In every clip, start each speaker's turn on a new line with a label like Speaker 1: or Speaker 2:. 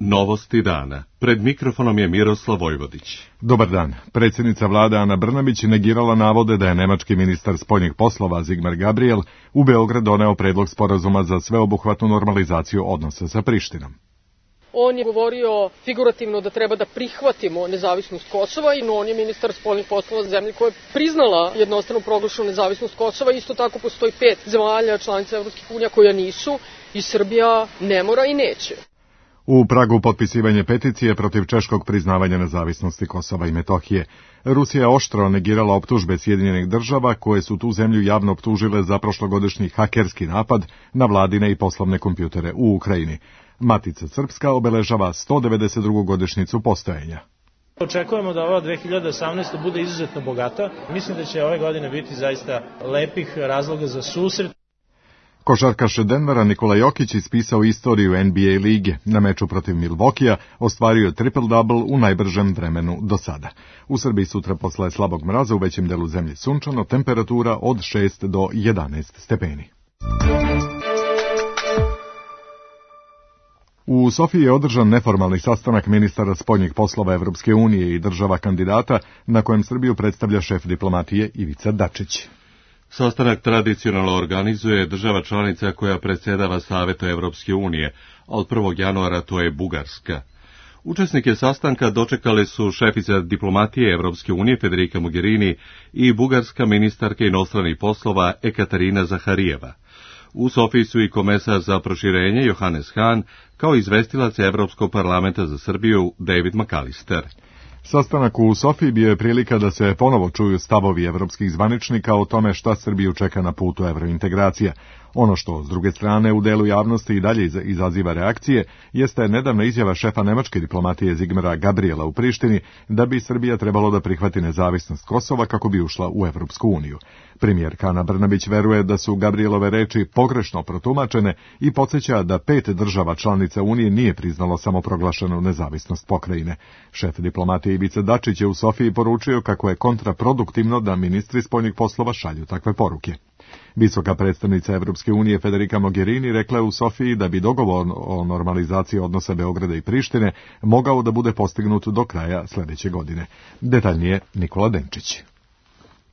Speaker 1: Novosti dana. Pred mikrofonom je Miroslav Vojvodić.
Speaker 2: Dobar dan. Predsjednica vlade Ana Brnabić negirala navode da je nemački ministar spoljnih poslova Sigmar Gabriel u Beograd doneo predlog sporazuma za sveobuhvatnu normalizaciju odnosa sa Prištinom.
Speaker 3: On je govorio figurativno da treba da prihvatimo nezavisnost Kosova i on je ministar spoljnih poslova zemlje koja je priznala jednostrano proglašenu nezavisnost Kosova. Isto tako postoji 5 zemalja članica Evropskih unija koja nisu i Srbija ne mora i neće.
Speaker 2: U Pragu potpisivanje peticije protiv češkog priznavanja nezavisnosti Kosova i Metohije. Rusija je oštro negirala optužbe Sjedinjenih država koje su tu zemlju javno optužile za prošlogodišnji hakerski napad na vladine i poslovne kompjutere u Ukrajini. Matica Srpska obeležava 192. godišnjicu postojanja.
Speaker 4: Očekujemo da ova 2018. bude izuzetno bogata. Mislim da će ove godine biti zaista lepih razloga za susret.
Speaker 2: Košarkaš Denvera Nikola Jokić ispisao istoriju NBA lige. Na meču protiv Milwaukeea ostvario triple-double u najbržem vremenu do sada. U Srbiji sutra posle slabog mraza u većem delu zemlje sunčano, temperatura od 6 do 11 stepeni. U Sofiji je održan neformalni sastanak ministara spoljnih poslova Evropske unije i država kandidata, na kojem Srbiju predstavlja šef diplomatije Ivica Dačić.
Speaker 1: Sastanak tradicionalno organizuje država članica koja predsjedava Savetu Evropske unije, a od 1. januara to je Bugarska. Učesnike sastanka dočekale su šefica diplomatije Evropske unije Federica Mogherini i bugarska ministarka inostranih poslova Ekaterina Zaharijeva. U Sofiji su i komesar za proširenje Johannes Hahn, kao izvestilac Evropskog parlamenta za Srbiju David McAllister.
Speaker 2: Sastanak u Sofiji bio je prilika da se ponovo čuju stavovi evropskih zvaničnika o tome šta Srbiju čeka na putu evrointegracija. Ono što, s druge strane, u delu javnosti i dalje izaziva reakcije, jeste nedavna izjava šefa nemačke diplomatije Sigmara Gabriela u Prištini da bi Srbija trebalo da prihvati nezavisnost Kosova kako bi ušla u Evropsku uniju. Premijerka Ana Brnabić veruje da su Gabrielove reči pogrešno protumačene i podsjeća da 5 država članica Unije nije priznalo samoproglašenu nezavisnost pokrajine. Šef diplomatije Ivica Dačić je u Sofiji poručio kako je kontraproduktivno da ministri spoljnih poslova šalju takve poruke. Visoka predstavnica Evropske unije Federica Mogherini rekla je u Sofiji da bi dogovor o normalizaciji odnosa Beograda i Prištine mogao da bude postignut do kraja sljedeće godine. Detaljnije Nikola Denčić.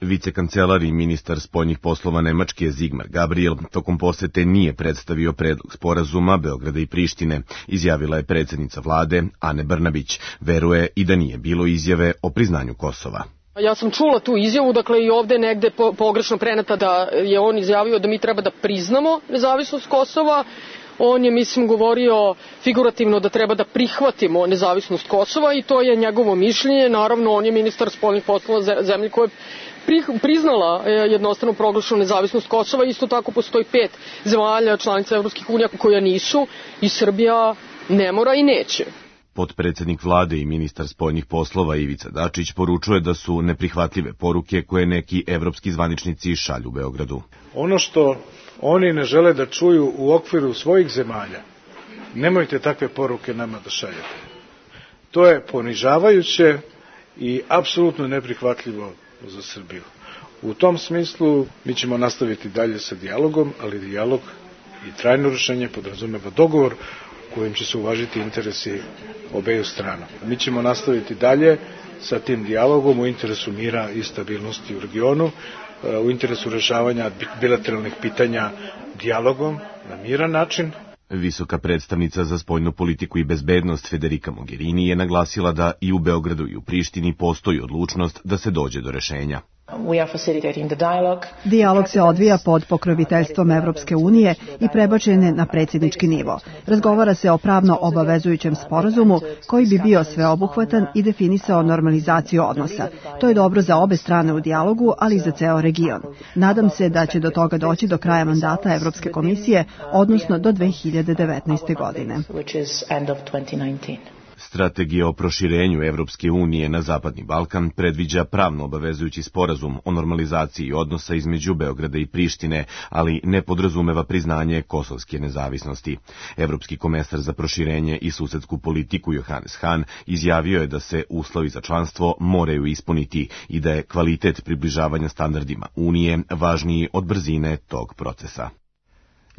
Speaker 5: Vicekancelar i ministar spoljnih poslova Nemačke Sigmar Gabriel tokom posete nije predstavio predlog sporazuma Beograda i Prištine, izjavila je predsjednica vlade Ane Brnabić. Veruje i da nije bilo izjave o priznanju Kosova.
Speaker 3: Ja sam čula tu izjavu, dakle i ovde negde pogrešno preneta da je on izjavio da mi treba da priznamo nezavisnost Kosova. On je, mislim, govorio figurativno da treba da prihvatimo nezavisnost Kosova i to je njegovo mišljenje. Naravno, on je ministar spoljnih poslova zemlje koja je priznala jednostrano proglašenu nezavisnost Kosova. Isto tako postoji 5 zemalja članica Evropskih unija koja nisu i Srbija ne mora i neće.
Speaker 5: Potpredsjednik vlade i ministar spoljnih poslova Ivica Dačić poručuje da su neprihvatljive poruke koje neki evropski zvaničnici šalju Beogradu.
Speaker 6: Ono što oni ne žele da čuju u okviru svojih zemalja, nemojte takve poruke nama da šaljete. To je ponižavajuće i apsolutno neprihvatljivo za Srbiju. U tom smislu mi ćemo nastaviti dalje sa dijalogom, ali dijalog i trajno rešenje podrazumeva dogovor kojim će se uvažiti interesi obeju strana. Mi ćemo nastaviti dalje sa tim dijalogom u interesu mira i stabilnosti u regionu, u interesu rešavanja bilateralnih pitanja dijalogom na miran način.
Speaker 5: Visoka predstavnica za spoljnu politiku i bezbednost Federica Mogherini je naglasila da i u Beogradu i u Prištini postoji odlučnost da se dođe do rešenja.
Speaker 7: Dijalog se odvija pod pokroviteljstvom Evropske unije i prebačen je na predsjednički nivo. Razgovara se o pravno obavezujućem sporazumu koji bi bio sveobuhvatan i definisao normalizaciju odnosa. To je dobro za obe strane u dijalogu, ali i za ceo region. Nadam se da će do toga doći do kraja mandata Evropske komisije, odnosno do 2019. godine.
Speaker 5: Strategija o proširenju Evropske unije na Zapadni Balkan predviđa pravno obavezujući sporazum o normalizaciji odnosa između Beograda i Prištine, ali ne podrazumeva priznanje kosovske nezavisnosti. Evropski komesar za proširenje i susedsku politiku Johannes Hahn izjavio je da se uslovi za članstvo moraju ispuniti i da je kvalitet približavanja standardima Unije važniji od brzine tog procesa.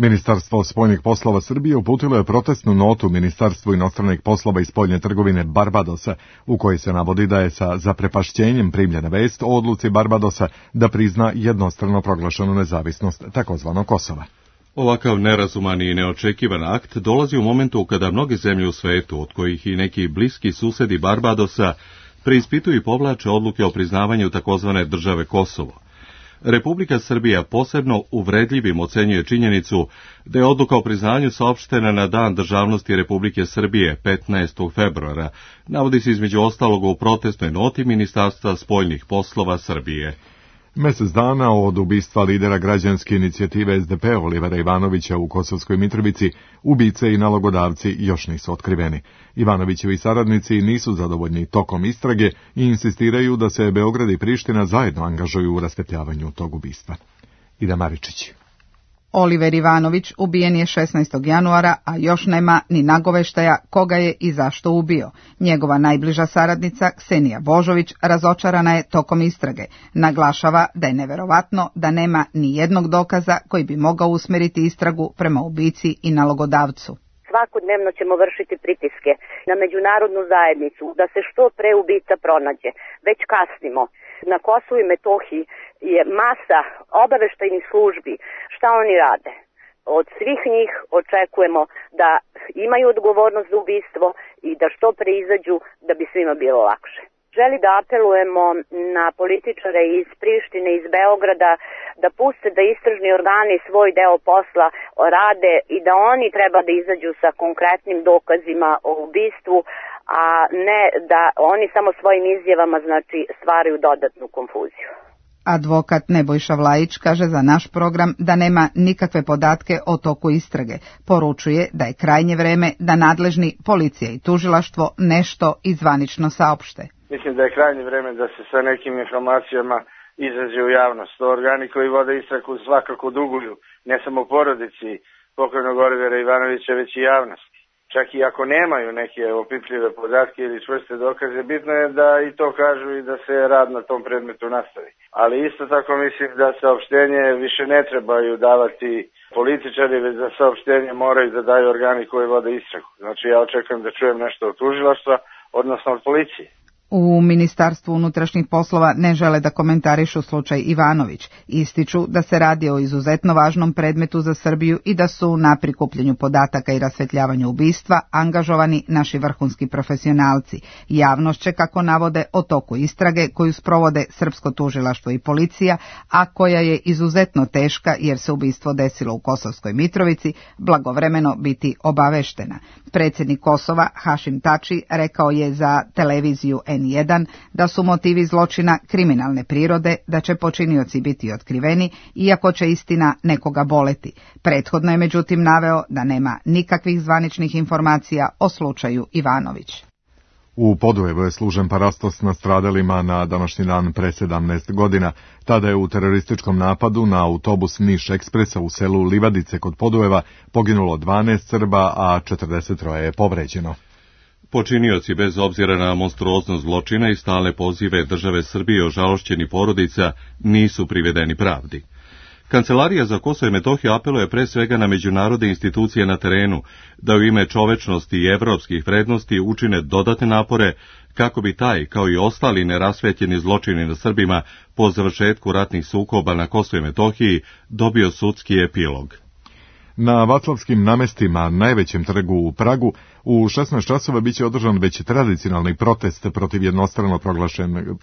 Speaker 2: Ministarstvo spoljnih poslova Srbije uputilo je protestnu notu Ministarstvu inostranih poslova i spoljne trgovine Barbadosa, u kojoj se navodi da je sa zaprepašćenjem primljena vest o odluci Barbadosa da prizna jednostrano proglašenu nezavisnost takozvanog Kosova.
Speaker 1: Ovakav nerazuman i neočekivan akt dolazi u momentu kada mnoge zemlje u svetu, od kojih i neki bliski susedi Barbadosa, preispituju i povlače odluke o priznavanju takozvane države Kosovo. Republika Srbija posebno uvredljivim ocenjuje činjenicu da je odluka o priznanju saopštena na Dan državnosti Republike Srbije 15. februara, navodi se između ostalog u protestnoj noti Ministarstva spoljnih poslova Srbije.
Speaker 2: Mesec dana od ubistva lidera građanske inicijative SDP Olivera Ivanovića u Kosovskoj Mitrovici, ubice i nalogodavci još nisu otkriveni. Ivanovićevi saradnici nisu zadovoljni tokom istrage i insistiraju da se Beograd i Priština zajedno angažuju u raspetljavanju tog ubistva. Ida Maričić.
Speaker 8: Oliver Ivanović ubijen je 16. januara, a još nema ni nagoveštaja koga je i zašto ubio. Njegova najbliža saradnica, Ksenija Božović, razočarana je tokom istrage. Naglašava da je neverovatno da nema ni jednog dokaza koji bi mogao usmeriti istragu prema ubici i nalogodavcu.
Speaker 9: Svakodnevno ćemo vršiti pritiske na međunarodnu zajednicu da se što pre ubica pronađe. Već kasnimo. Na Kosovu i Metohiji je masa obaveštajnih službi. Šta oni rade? Od svih njih očekujemo da imaju odgovornost za ubistvo i da što pre izađu da bi svima bilo lakše. Želi da apelujemo na političare iz Prištine, iz Beograda, da puste da istražni organi svoj deo posla rade i da oni treba da izađu sa konkretnim dokazima o ubistvu, a ne da oni samo svojim izjavama stvaraju dodatnu konfuziju.
Speaker 8: Advokat Nebojša Vlajić kaže za naš program da nema nikakve podatke o toku istrage. Poručuje da je krajnje vreme da nadležni policija i tužilaštvo nešto izvanično saopšte.
Speaker 10: Mislim da je krajnje vreme da se sa nekim informacijama izađe u javnost. Organi koji vode istragu svakako duguju ne samo porodici pokojnog Olivera Ivanovića, već i javnost. Čak i ako nemaju neke opipljive podatke ili čvrste dokaze, bitno je da i to kažu i da se rad na tom predmetu nastavi. Ali isto tako mislim da saopštenje više ne trebaju davati političari, već za saopštenje moraju da daju organi koji vode istragu. Znači ja očekujem da čujem nešto od tužilaštva, odnosno od policije.
Speaker 8: U Ministarstvu unutrašnjih poslova ne žele da komentarišu slučaj Ivanović. Ističu da se radi o izuzetno važnom predmetu za Srbiju i da su na prikupljanju podataka i rasvetljavanju ubistva angažovani naši vrhunski profesionalci. Javnost će, kako navode, o toku istrage koju sprovode Srpsko tužilaštvo i policija, a koja je izuzetno teška jer se ubistvo desilo u Kosovskoj Mitrovici, blagovremeno biti obaveštena. Predsjednik Kosova, Hašim Tači, rekao je za televiziju N1 da su motivi zločina kriminalne prirode, da će počinioci biti otkriveni, iako će istina nekoga boleti. Prethodno je međutim naveo da nema nikakvih zvaničnih informacija o slučaju Ivanović.
Speaker 2: U Podujevu je služen parastos nastradalima na današnji dan pre 17 godina. Tada je u terorističkom napadu na autobus Niš Ekspresa u selu Livadice kod Podujeva poginulo 12 Srba, a 43 je povređeno.
Speaker 1: Počinioci, bez obzira na monstruoznost zločina i stalne pozive države Srbije ožalošćeni porodica, nisu privedeni pravdi. Kancelarija za Kosovo i Metohiju apeluje pre svega na međunarodne institucije na terenu da u ime čovečnosti i evropskih vrednosti učine dodatne napore kako bi taj, kao i ostali nerasvetljeni zločini na Srbima po završetku ratnih sukoba na Kosovu i Metohiji dobio sudski epilog.
Speaker 2: Na Vaclavskim namestima, najvećem trgu u Pragu, u 16 časova biće održan već tradicionalni protest protiv jednostrano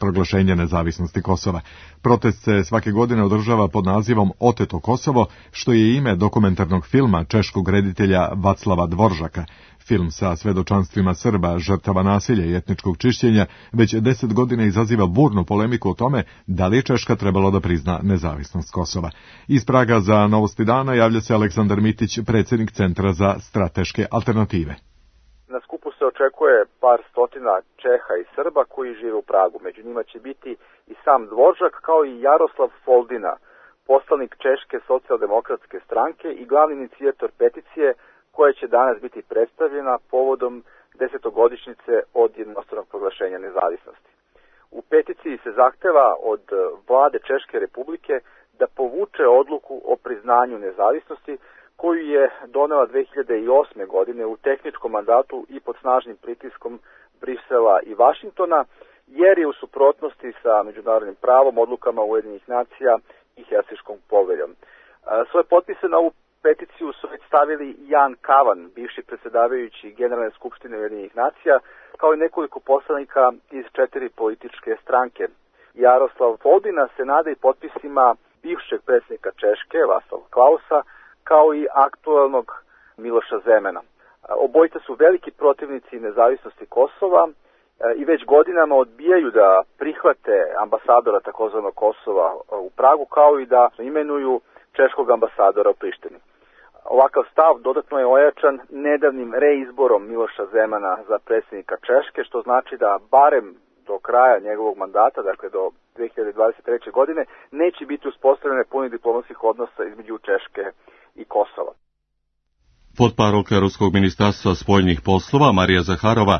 Speaker 2: proglašenja nezavisnosti Kosova. Protest se svake godine održava pod nazivom Oteto Kosovo, što je ime dokumentarnog filma češkog reditelja Vaclava Dvoržaka. Film sa svedočanstvima Srba, žrtava nasilja i etničkog čišćenja, već 10 godina izaziva burnu polemiku o tome da li je Češka trebalo da prizna nezavisnost Kosova. Iz Praga za Novosti dana javlja se Aleksandar Mitić, predsjednik Centra za strateške alternative.
Speaker 11: Na skupu se očekuje par stotina Čeha i Srba koji žive u Pragu. Među njima će biti i sam Dvoržak, kao i Jaroslav Foldina, poslanik Češke socijaldemokratske stranke i glavni inicijator peticije koja će danas biti predstavljena povodom 10-godišnjice od jednostranog proglašenja nezavisnosti. U peticiji se zahteva od vlade Češke republike da povuče odluku o priznanju nezavisnosti koju je donela 2008. godine u tehničkom mandatu i pod snažnim pritiskom Brisela i Vašingtona, jer je u suprotnosti sa međunarodnim pravom, odlukama Ujedinjenih nacija i Helsinškom poveljom. Svoje potpise na ovu peticiju su već stavili Jan Kavan, bivši predsjedavajući Generalne skupštine Ujedinjenih nacija, kao i nekoliko poslanika iz 4 političke stranke. Jaroslav Foldina se nada i potpisima bivšeg predsjednika Češke, Václava Klausa, kao i aktualnog Miloša Zemana. Obojica su veliki protivnici nezavisnosti Kosova i već godinama odbijaju da prihvate ambasadora takozvanog Kosova u Pragu, kao i da imenuju češkog ambasadora u Prištini. Ovakav stav dodatno je ojačan nedavnim reizborom Miloša Zemana za predsjednika Češke, što znači da barem do kraja njegovog mandata, dakle do 2023. godine, neće biti uspostavljene punih diplomatskih odnosa između Češke i Kosova.
Speaker 1: Potparolka Ruskog ministarstva spoljnih poslova Marija Zaharova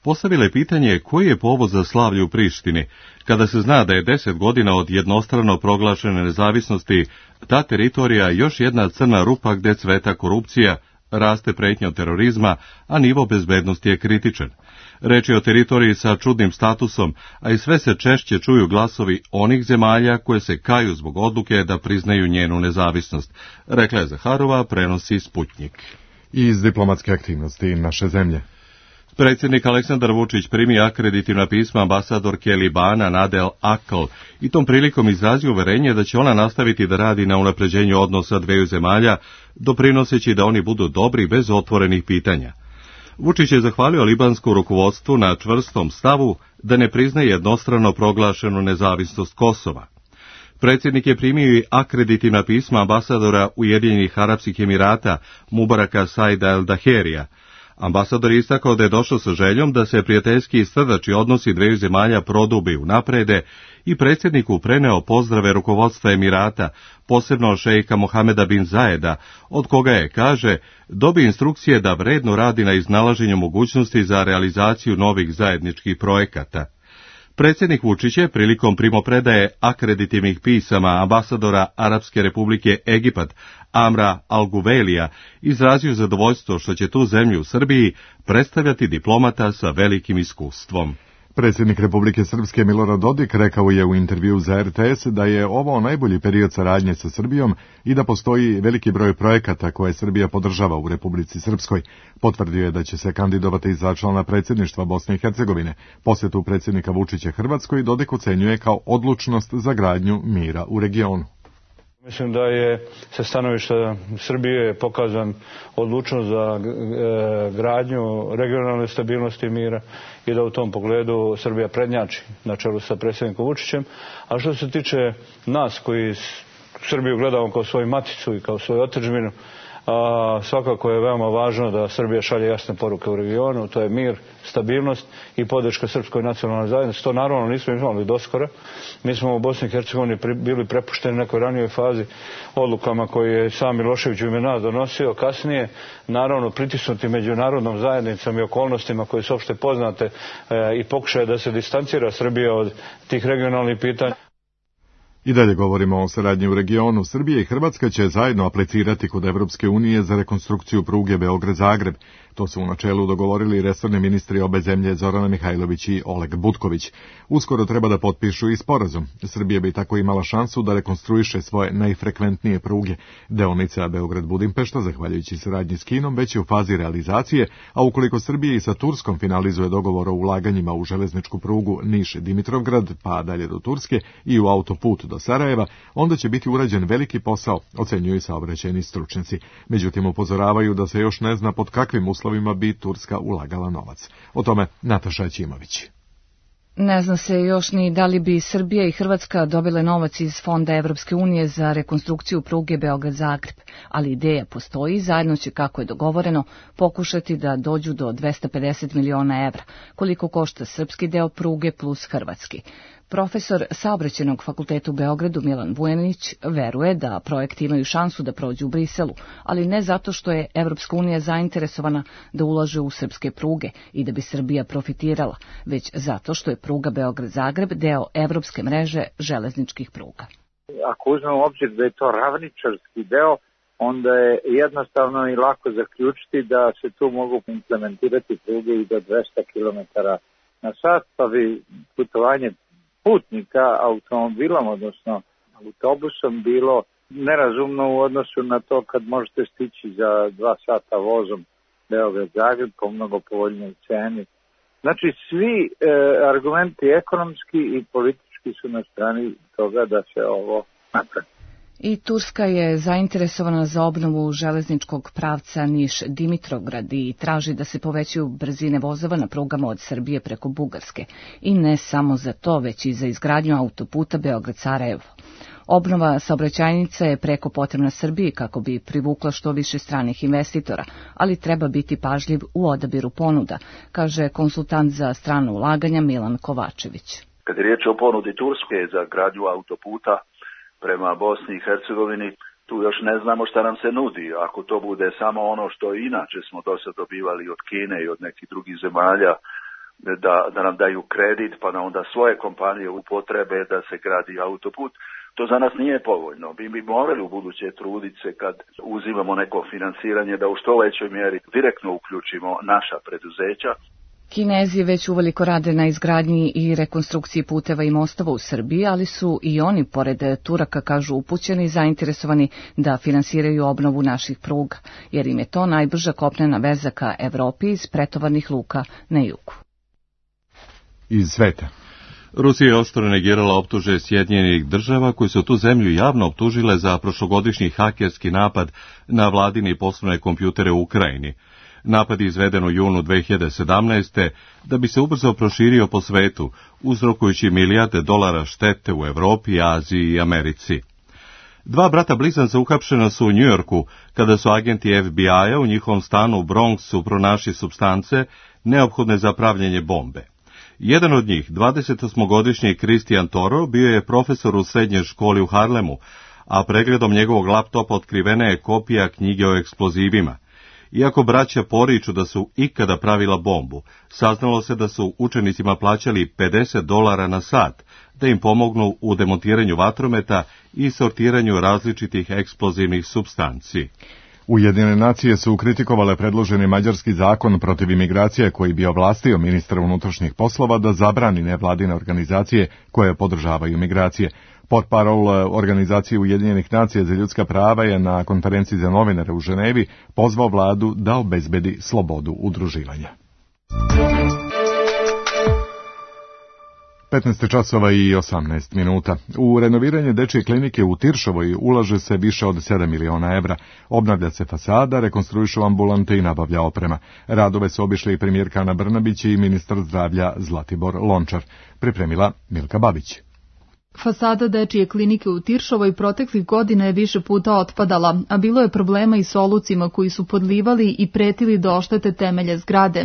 Speaker 1: postavila je pitanje koji je povod za slavlje u Prištini, kada se zna da je 10 godina od jednostrano proglašene nezavisnosti ta teritorija još jedna crna rupa gde cveta korupcija, raste pretnja od terorizma, a nivo bezbednosti je kritičan. Reč je o teritoriji sa čudnim statusom, a i sve se češće čuju glasovi onih zemalja koje se kaju zbog odluke da priznaju njenu nezavisnost, rekla je Zaharova, prenosi Sputnjik.
Speaker 2: Iz diplomatske aktivnosti naše zemlje.
Speaker 1: Predsjednik Aleksandar Vučić primi akreditivna pisma ambasadorke Libana Nadel Akl i tom prilikom izrazio uverenje da će ona nastaviti da radi na unapređenju odnosa dveju zemalja, doprinoseći da oni budu dobri bez otvorenih pitanja. Vučić je zahvalio libansku rukovodstvu na čvrstom stavu da ne priznaje jednostrano proglašenu nezavisnost Kosova. Predsjednik je primio i akreditivna pisma ambasadora Ujedinjenih Arapskih Emirata Mubaraka Saida El Daherija. Ambasador je istakao da je došao sa željom da se prijateljski i srdači odnosi dveju zemalja prodube i unaprede i predsjedniku preneo pozdrave rukovodstva Emirata, posebno šejka Mohameda bin Zajeda, od koga je, kaže, dobio instrukcije da vredno radi na iznalaženju mogućnosti za realizaciju novih zajedničkih projekata. Predsjednik Vučić je prilikom primopredaje akreditivnih pisama ambasadora Arapske republike Egipat Amra Al-Guvelija izrazio zadovoljstvo što će tu zemlju u Srbiji predstavljati diplomata sa velikim iskustvom.
Speaker 2: Predsjednik Republike Srpske Milorad Dodik rekao je u intervju za RTS da je ovo najbolji period saradnje sa Srbijom i da postoji veliki broj projekata koje Srbija podržava u Republici Srpskoj. Potvrdio je da će se kandidovati za člana predsjedništva Bosne i Hercegovine. Posjetu predsjednika Vučića Hrvatskoj Dodik ocenjuje kao odlučnost za gradnju mira u regionu.
Speaker 12: Mislim da je sa stanovišta Srbije pokazan odlučnost za gradnju regionalne stabilnosti i mira i da u tom pogledu Srbija prednjači na čelu sa predsjednikom Vučićem. A što se tiče nas koji Srbiju gledamo kao svoju maticu i kao svoju otadžbinu, svakako je veoma važno da Srbija šalje jasne poruke u regionu, to je mir, stabilnost i podrška srpskoj nacionalnoj zajednici. To naravno nismo imali doskora. Mi smo u Bosni i Hercegovini bili prepušteni nekoj ranijoj fazi odlukama koje je sam Milošević u ime nas donosio. Kasnije, naravno, pritisnuti međunarodnom zajednicom i okolnostima koje su opšte poznate i pokušaje da se distancira Srbija od tih regionalnih pitanja.
Speaker 2: I dalje govorimo o saradnji u regionu. Srbija i Hrvatska će zajedno aplicirati kod Evropske unije za rekonstrukciju pruge Beograd-Zagreb. To su u načelu dogovorili resorni ministri obe zemlje Zorana Mihajlović i Oleg Butković. Uskoro treba da potpišu i sporazum. Srbija bi tako imala šansu da rekonstruiše svoje najfrekventnije pruge. Deonica Beograd-Budimpešta, zahvaljujući saradnji s Kinom, već je u fazi realizacije, a ukoliko Srbija i sa Turskom finalizuje dogovor o ulaganjima u železničku prugu Niš-Dimitrovgrad, pa dalje do Turske i u autoput do Sarajeva, onda će biti urađen veliki posao, ocenjuju saobraćajni stručnjaci. Međutim, upozoravaju da se još ne zna pod kakvim uslovima bi Turska ulagala novac. O tome Nataša Ćimović.
Speaker 13: Ne zna se još ni da li bi Srbija i Hrvatska dobile novac iz Fonda Evropske unije za rekonstrukciju pruge Beograd-Zagreb, ali ideja postoji i zajedno će, kako je dogovoreno, pokušati da dođu do 250 miliona evra, koliko košta srpski deo pruge plus hrvatski. Profesor Saobraćajnog fakulteta u Beogradu Milan Vujanić veruje da projekti imaju šansu da prođu u Briselu, ali ne zato što je Evropska unija zainteresovana da ulaže u srpske pruge i da bi Srbija profitirala, već zato što je pruga Beograd-Zagreb deo evropske mreže železničkih pruga.
Speaker 14: Ako uzmemo u obzir da je to ravničarski deo, onda je jednostavno i lako zaključiti da se tu mogu implementirati pruge i do 200 km na sat, pa bi putovanje putnika automobilom, odnosno autobusom, bilo nerazumno u odnosu na to kad možete stići za 2 sata vozom Beograd-Zagreb po mnogo povoljnoj ceni. Znači, svi argumenti ekonomski i politički su na strani toga da se ovo napravi.
Speaker 13: I Turska je zainteresovana za obnovu železničkog pravca Niš-Dimitrograd i traži da se povećaju brzine vozova na prugama od Srbije preko Bugarske. I ne samo za to, već i za izgradnju autoputa Beograd-Sarajevo. Obnova saobraćajnice je preko potrebna Srbiji kako bi privukla što više stranih investitora, ali treba biti pažljiv u odabiru ponuda, kaže konsultant za strano ulaganja Milan Kovačević.
Speaker 15: Kad je riječ o ponudi Turske za gradnju autoputa prema Bosni i Hercegovini, tu još ne znamo šta nam se nudi. Ako to bude samo ono što inače smo do sad dobivali od Kine i od nekih drugih zemalja, da nam daju kredit pa da onda svoje kompanije upotrebe da se gradi autoput, to za nas nije povoljno. Mi bi morali u buduće truditi se kad uzimamo neko finansiranje da u što većoj mjeri direktno uključimo naša preduzeća.
Speaker 13: Kinezi već uveliko rade na izgradnji i rekonstrukciji puteva i mostova u Srbiji, ali su i oni, pored Turaka, kažu, upućeni i zainteresovani da finansiraju obnovu naših pruga, jer im je to najbrža kopnena veza ka Evropi iz pretovarnih luka na jugu.
Speaker 2: Iz sveta.
Speaker 1: Rusija je oštro negirala optužbe Sjedinjenih država koji su tu zemlju javno optužile za prošlogodišnji hakerski napad na vladine poslovne kompjutere u Ukrajini. Napad je izveden u junu 2017. da bi se ubrzo proširio po svetu, uzrokujući milijarde dolara štete u Evropi, Aziji i Americi. 2 brata blizanca uhapšena su u Njujorku kada su agenti FBI-a u njihovom stanu u Bronxu pronašli supstance neophodne za pravljenje bombe. Jedan od njih, 28-godišnji Christian Toro, bio je profesor u srednjoj školi u Harlemu, a pregledom njegovog laptopa otkrivena je kopija knjige o eksplozivima. Iako braća poriču da su ikada pravila bombu, saznalo se da su učenicima plaćali $50 na sat, da im pomognu u demontiranju vatrometa i sortiranju različitih eksplozivnih supstanci.
Speaker 2: Ujedinjene nacije su kritikovale predloženi mađarski zakon protiv imigracije koji bi ovlastio ministra unutrašnjih poslova da zabrani nevladine organizacije koje podržavaju migracije. Portparol Organizacije Ujedinjenih nacija za ljudska prava je na konferenciji za novinare u Ženevi pozvao vladu da obezbedi slobodu udruživanja. 15 časova i 18 minuta. U renoviranje dečje klinike u Tiršovoj ulaže se više od 7 miliona evra. Obnavlja se fasada, rekonstruišu ambulante i nabavlja oprema. Radove su obišli i premijerka Ana Brnabić i ministar zdravlja Zlatibor Lončar. Pripremila Milka Babić.
Speaker 16: Fasada dečije klinike u Tiršovoj proteklih godina je više puta otpadala, a bilo je problema i s olucima koji su podlivali i pretili da oštete temelje zgrade.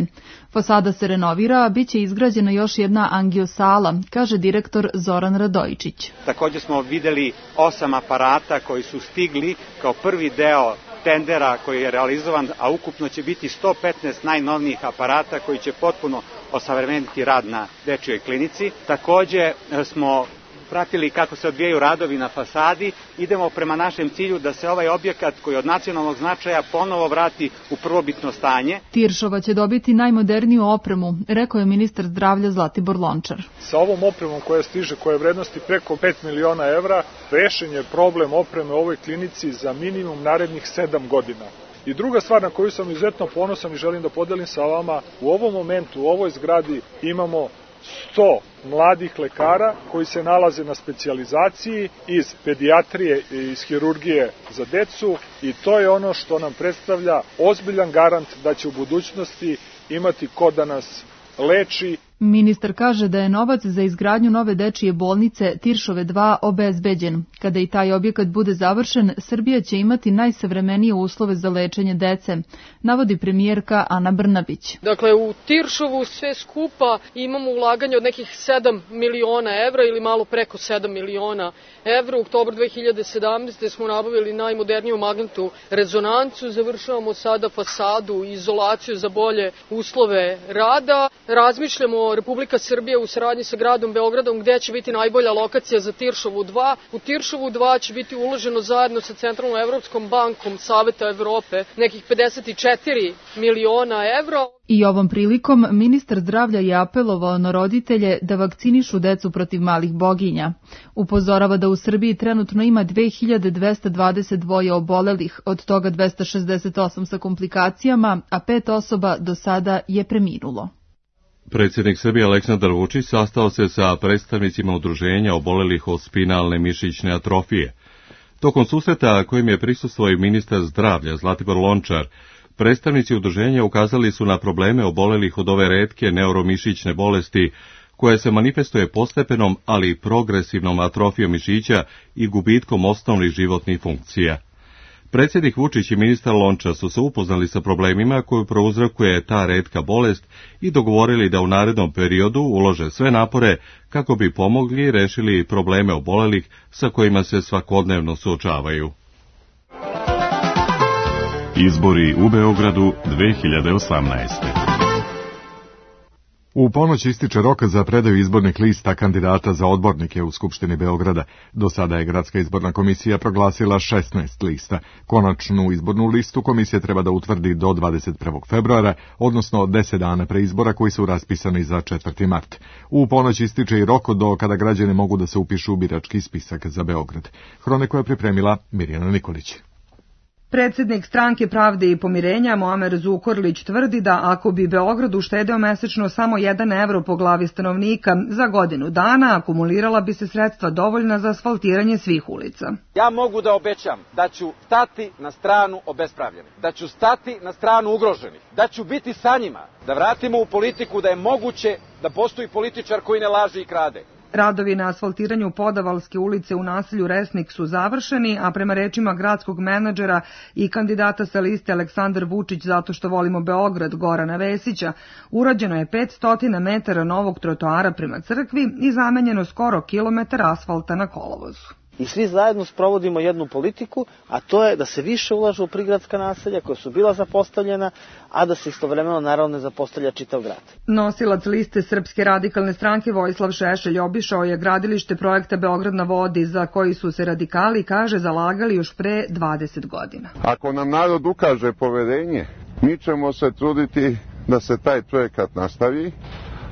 Speaker 16: Fasada se renovira, a bit će izgrađena još jedna angiosala, kaže direktor Zoran Radojičić.
Speaker 17: Također smo vidjeli 8 aparata koji su stigli kao prvi deo tendera koji je realizovan, a ukupno će biti 115 najnovnijih aparata koji će potpuno osavremeniti rad na dečjoj klinici. Također smo pratili kako se odvijaju radovi na fasadi, idemo prema našem cilju da se ovaj objekat koji je od nacionalnog značaja ponovo vrati u prvobitno stanje.
Speaker 16: Tiršova će dobiti najmoderniju opremu, rekao je ministar zdravlja Zlatibor Lončar.
Speaker 6: Sa ovom opremom koja stiže, koja je vrednosti preko 5 miliona evra, rešen je problem opreme u ovoj klinici za minimum narednih 7 godina. I druga stvar na koju sam izuzetno ponosan i želim da podelim sa vama, u ovom momentu, u ovoj zgradi imamo 100 mladih lekara koji se nalaze na specijalizaciji iz pedijatrije i iz hirurgije za decu i to je ono što nam predstavlja ozbiljan garant da će u budućnosti imati ko da nas leči.
Speaker 16: Ministar kaže da je novac za izgradnju nove dečije bolnice Tiršove 2 obezbeđen. Kada i taj objekat bude završen, Srbija će imati najsavremenije uslove za lečenje dece, navodi premijerka Ana Brnabić.
Speaker 3: Dakle, u Tiršovu sve skupa imamo ulaganje od nekih 7 miliona evra ili malo preko 7 miliona evra. U oktobru 2017. smo nabavili najmoderniju magnetnu rezonancu, završavamo sada fasadu i izolaciju za bolje uslove rada. Razmišljamo o naravno Republika Srbija u saradnji sa gradom Beogradom gde će biti najbolja lokacija za Tiršovu 2. U Tiršovu 2 će biti uloženo zajedno sa Centralnom Evropskom bankom Saveta Evrope nekih 54 miliona evra.
Speaker 16: I ovom prilikom ministar zdravlja je apelovao na roditelje da vakcinišu decu protiv malih boginja. Upozorava da u Srbiji trenutno ima 2222 obolelih, od toga 268 sa komplikacijama, a 5 osoba do sada je preminulo.
Speaker 1: Predsjednik Srbije Aleksandar Vučić sastao se sa predstavnicima udruženja obolelih od spinalne mišićne atrofije. Tokom susreta kojim je prisustvovao i ministar zdravlja Zlatibor Lončar, predstavnici udruženja ukazali su na probleme obolelih od ove retke neuromišićne bolesti, koja se manifestuje postepenom, ali i progresivnom atrofijom mišića i gubitkom osnovnih životnih funkcija. Predsjednik Vučić i ministar Lončar su se upoznali sa problemima koju prouzrokuje ta retka bolest i dogovorili da u narednom periodu ulože sve napore kako bi pomogli i rešili probleme obolelih sa kojima se svakodnevno suočavaju.
Speaker 18: Izbori u Beogradu 2018.
Speaker 2: U ponoć ističe rok za predaju izbornih lista kandidata za odbornike u Skupštini Beograda. Do sada je Gradska izborna komisija proglasila 16 lista. Konačnu izbornu listu komisija treba da utvrdi do 21. februara, odnosno 10 dana pre izbora koji su raspisani za 4. mart. U ponoć ističe i rok do kada građani mogu da se upišu u birački spisak za Beograd. Hroniku je pripremila Mirjana Nikolić.
Speaker 19: Predsjednik Stranke pravde i pomirenja Muamer Zukorlić tvrdi da ako bi Beograd uštedeo mesečno samo 1 evro po glavi stanovnika, za godinu dana akumulirala bi se sredstva dovoljna za asfaltiranje svih ulica.
Speaker 20: Ja mogu da obećam da ću stati na stranu obespravljenih, da ću stati na stranu ugroženih, da ću biti sa njima, da vratimo u politiku da je moguće da postoji političar koji ne laže i krade.
Speaker 19: Radovi na asfaltiranju Podavalske ulice u naselju Resnik su završeni, a prema rečima gradskog menadžera i kandidata sa liste Aleksandar Vučić zato što volimo Beograd Gorana Vesića, urađeno je 500 metara novog trotoara prema crkvi i zamenjeno skoro kilometar asfalta na kolovozu.
Speaker 21: I svi zajedno sprovodimo jednu politiku, a to je da se više ulaže u prigradska naselja koja su bila zapostavljena, a da se istovremeno naravno ne zapostavlja čitav grad.
Speaker 19: Nosilac liste Srpske radikalne stranke Vojislav Šešelj obišao je gradilište projekta Beograd na vodi za koji su se radikali, kaže, zalagali još pre 20 godina.
Speaker 22: Ako nam narod ukaže poverenje, mi ćemo se truditi da se taj projekat nastavi,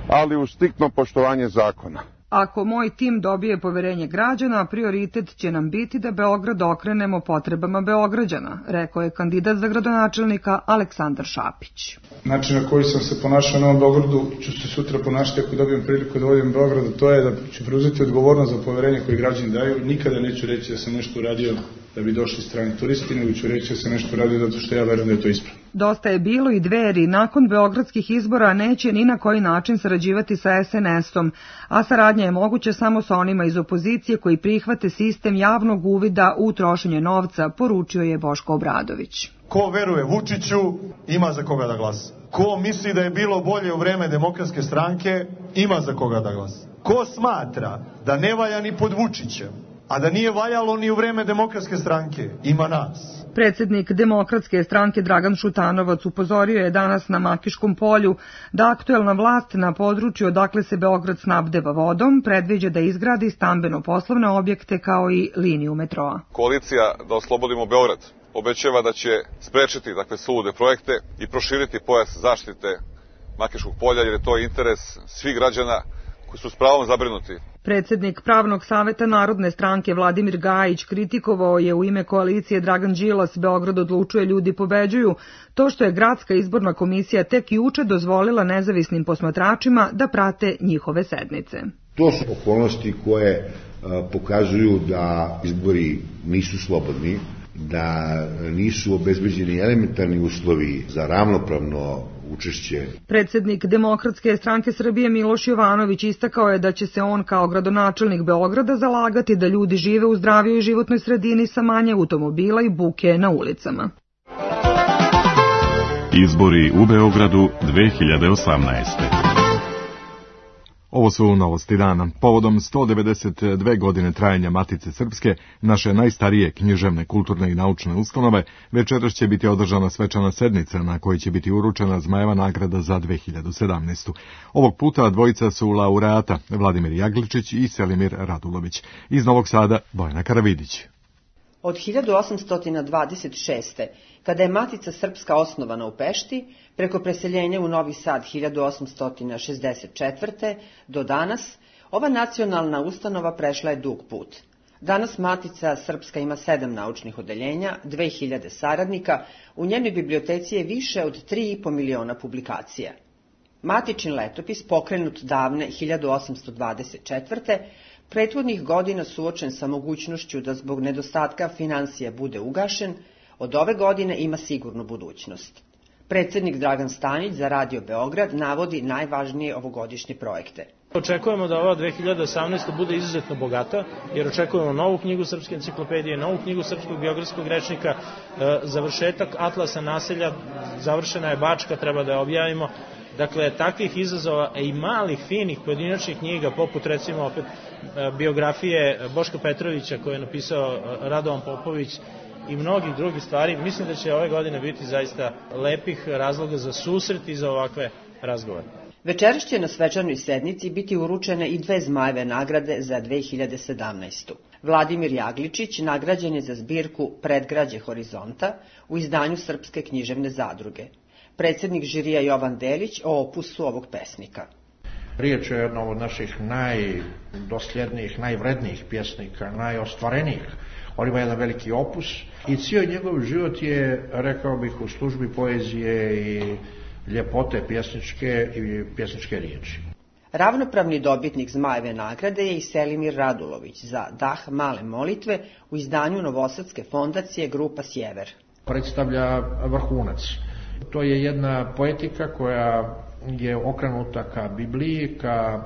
Speaker 22: ali uz striktno poštovanje zakona.
Speaker 19: Ako moj tim dobije poverenje građana, prioritet će nam biti da Beograd okrenemo potrebama Beograđana, rekao je kandidat za gradonačelnika Aleksandar Šapić.
Speaker 23: Način na koji sam se ponašao na ovom Beogradu ću se sutra ponašati ako dobijem priliku da vodim Beograd, to je da ću preuzeti odgovornost za poverenje koje građani daju. Nikada neću reći da sam nešto uradio da bi došli strani turisti, nego ću reći da sam nešto uradio zato što ja verujem da je to ispravno.
Speaker 19: Dosta je bilo i Dveri nakon beogradskih izbora neće ni na koji način sarađivati sa SNS-om, a saradnja je moguća samo sa onima iz opozicije koji prihvate sistem javnog uvida u trošenje novca, poručio je Boško Obradović.
Speaker 24: Ko veruje Vučiću, ima za koga da glasa. Ko misli da je bilo bolje u vreme Demokratske stranke, ima za koga da glasa. Ko smatra da ne valja ni pod Vučićem, a da nije valjalo ni u vreme Demokratske stranke, ima nas.
Speaker 19: Predsjednik Demokratske stranke Dragan Šutanovac upozorio je danas na Makiškom polju da aktuelna vlast na području odakle se Beograd snabdeva vodom predviđa da izgradi stambeno-poslovne objekte kao i liniju metroa.
Speaker 25: Koalicija Da oslobodimo Beograd obećava da će sprečiti sulude projekte i proširiti pojas zaštite Makiškog polja jer je to interes svih građana koji su s pravom zabrinuti.
Speaker 19: Predsjednik Pravnog saveta Narodne stranke Vladimir Gajić kritikovao je u ime koalicije Dragan Đilas Beograd odlučuje, ljudi pobeđuju, to što je Gradska izborna komisija tek juče dozvolila nezavisnim posmatračima da prate njihove sednice.
Speaker 26: To su okolnosti koje pokazuju da izbori nisu slobodni, da nisu obezbeđeni elementarni uslovi za ravnopravno učešće.
Speaker 19: Predsjednik Demokratske stranke Srbije Miloš Jovanović istakao je da će se on kao gradonačelnik Beograda zalagati da ljudi žive u zdravijoj životnoj sredini sa manje automobila i buke na ulicama.
Speaker 18: Izbori u Beogradu 2018.
Speaker 2: Ovo su novosti dana. Povodom 192 godine trajanja Matice Srpske, naše najstarije književne, kulturne i naučne ustanove, večeras će biti održana svečana sednica na kojoj će biti uručena Zmajeva nagrada za 2017. Ovog puta dvojica su laureata, Vladimir Jagličić i Selimir Radulović. Iz Novog Sada, Bojana Karavidić.
Speaker 4: Od 1826. kada je Matica Srpska osnovana u Pešti, preko preseljenja u Novi Sad 1864. do danas, ova nacionalna ustanova prešla je dug put. Danas Matica Srpska ima 7 naučnih odeljenja, 2000 saradnika, u njenoj biblioteci je više od 3,5 miliona publikacija. Matičin letopis, pokrenut davne 1824. prethodnih godina suočen sa mogućnošću da zbog nedostatka finansija bude ugašen, od ove godine ima sigurnu budućnost. Predsjednik Dragan Stanić za Radio Beograd navodi najvažnije ovogodišnje projekte.
Speaker 5: Očekujemo da ova 2018. bude izuzetno bogata, jer očekujemo novu knjigu Srpske enciklopedije, novu knjigu Srpskog biografskog rečnika, završetak Atlasa naselja, završena je Bačka, treba da je objavimo. Dakle, takvih izazova i malih, finih, pojedinačnih knjiga, poput recimo opet biografije Boška Petrovića koju je napisao Radovan Popović i mnogih drugih stvari, mislim da će ove godine biti zaista lepih razloga za susret i za ovakve razgovore.
Speaker 4: Večeras će na svečanoj sednici biti uručene i 2 Zmajeve nagrade za 2017. Vladimir Jagličić nagrađen je za zbirku Predgrađe Horizonta u izdanju Srpske književne zadruge. Predsjednik žirija Jovan Delić o opusu ovog pesnika.
Speaker 7: Riječ je o jednom od naših najdosljednijih, najvrednijih pjesnika, najostvarenijih. On ima jedan veliki opus i cijeli njegov život je, rekao bih, u službi poezije i ljepote pjesničke i pjesničke riječi.
Speaker 4: Ravnopravni dobitnik Zmajeve nagrade je i Selimir Radulović za Dah male molitve u izdanju Novosadske fondacije Grupa Sjever.
Speaker 7: Predstavlja vrhunac. To je jedna poetika koja je okrenuta ka Bibliji, ka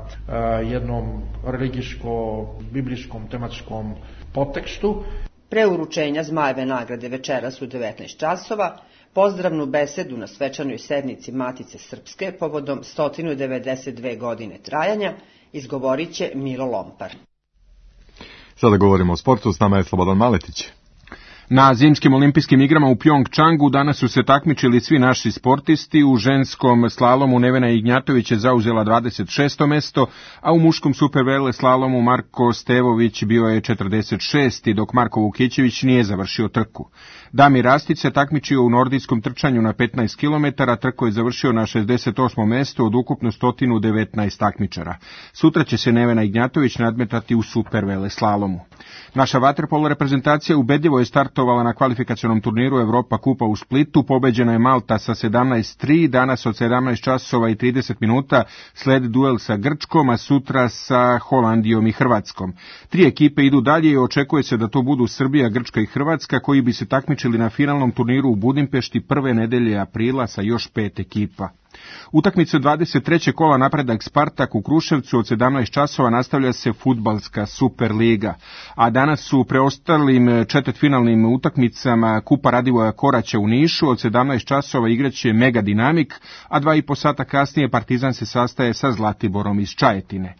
Speaker 7: jednom religijsko-biblijskom tematskom podtekstu.
Speaker 4: Pre uručenja Zmajeve nagrade večeras u 19 časova, pozdravnu besedu na svečanoj sednici Matice Srpske povodom 192 godine trajanja izgovorit će Milo Lompar.
Speaker 2: Sada govorimo o sportu, s nama je Slobodan Maletić.
Speaker 8: Na zimskim olimpijskim igrama u Pjongčangu danas su se takmičili svi naši sportisti. U ženskom slalomu Nevena Ignjatović je zauzela 26. mesto, a u muškom supervele slalomu Marko Stevović bio je 46. dok Marko Vukićević nije završio trku. Damir Rastic se takmičio u nordijskom trčanju na 15 km, trko je završio na 68. mestu od ukupno 119 takmičara. Sutra će se Nevena Ignjatović nadmetati u supervele slalomu. Naša vaterpolo reprezentacija ubedljivo je startovala na kvalifikacionom turniru Evropa Kupa u Splitu. Pobeđena je Malta sa 17:3, danas od 17 časova i 30 minuta sledi duel sa Grčkom, a sutra sa Holandijom i Hrvatskom. 3 ekipe idu dalje i očekuje se da to budu Srbija, Grčka i Hrvatska, koji bi se takmičili na finalnom turniru u Budimpešti prve nedelje aprila sa još 5 ekipa. Utakmicu 23. kola Napredak Spartak u Kruševcu od 17 časova nastavlja se fudbalska Superliga, a danas su preostalim četvrtfinalnim utakmicama Kupa Radivoja Koraća u Nišu od 17 časova igraće Mega Dinamik, a 2,5 sata kasnije Partizan se sastaje sa Zlatiborom iz Čajetine.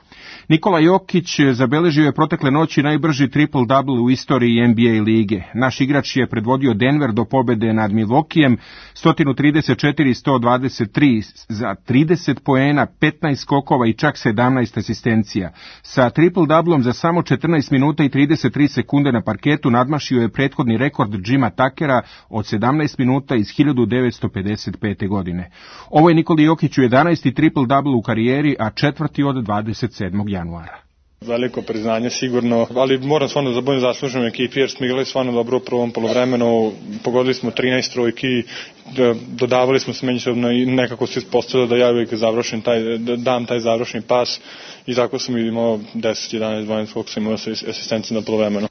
Speaker 8: Nikola Jokić zabeležio je protekle noći najbrži triple-double u istoriji NBA lige. Naš igrač je predvodio Denver do pobede nad Milwaukeeom 134-123 za 30 poena, 15 skokova i čak 17 asistencija. Sa triple-doublom za samo 14 minuta i 33 sekunde na parketu nadmašio je prethodni rekord Jima Tuckera od 17 minuta iz 1955. godine. Ovo je Nikoli Jokiću 11. triple-double u karijeri, a 4. od 27. januara.
Speaker 9: Veliko priznanje sigurno, ali moram stvarno da budem zaslužen ekipi jer smo igrali stvarno dobro u prvom poluvremenu, pogodili smo 13 trojki, dodavali smo se međusobno i nekako se ispostavilo da ja uvijek dam taj završni pas i tako sam imao 10, 11, 12 koliko sam imao asistencije na poluvremenu.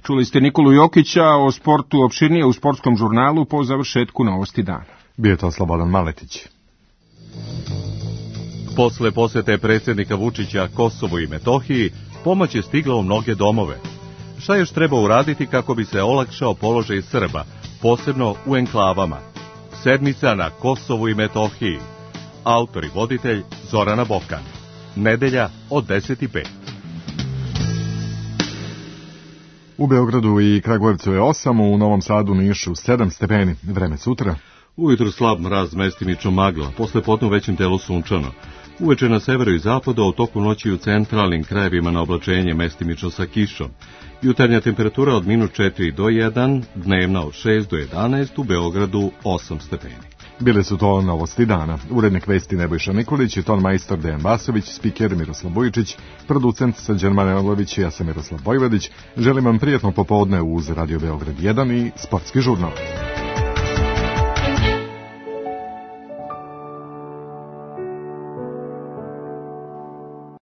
Speaker 8: Čuli ste Nikolu Jokića o sportu opširnije u sportskom žurnalu po završetku Novosti dana.
Speaker 2: Bio to Slobodan Maletić.
Speaker 1: Posle posjete predsjednika Vučića Kosovu i Metohiji, pomoć je stigla u mnoge domove. Šta još treba uraditi kako bi se olakšao položaj Srba, posebno u enklavama? Sedmica na Kosovu i Metohiji. Autor i voditelj Zorana Bokan. nedelja od 10:05.
Speaker 2: U Beogradu i Kragujevcu je 8, u Novom Sadu, Nišu 7 stepeni. Vreme sutra.
Speaker 1: Ujutru slab mraz, mestimično magla, posle podne u većem delu sunčano. Uveče na severu i zapadu, a u toku noći u centralnim krajevima na oblačenje, mestimično sa kišom. Jutarnja temperatura od -4 do 1, dnevna od 6 do 11, u Beogradu 8 stepeni.
Speaker 2: Bile su to novosti dana. Urednik vesti Nebojša Nikolić i ton majstor Dejan Vasović, spiker Miroslav Bojičić, producent Srđan Manojlović i ja sam Miroslav Vojvodić. Želim vam prijatno popodne uz Radio Beograd 1 i sportski žurnal.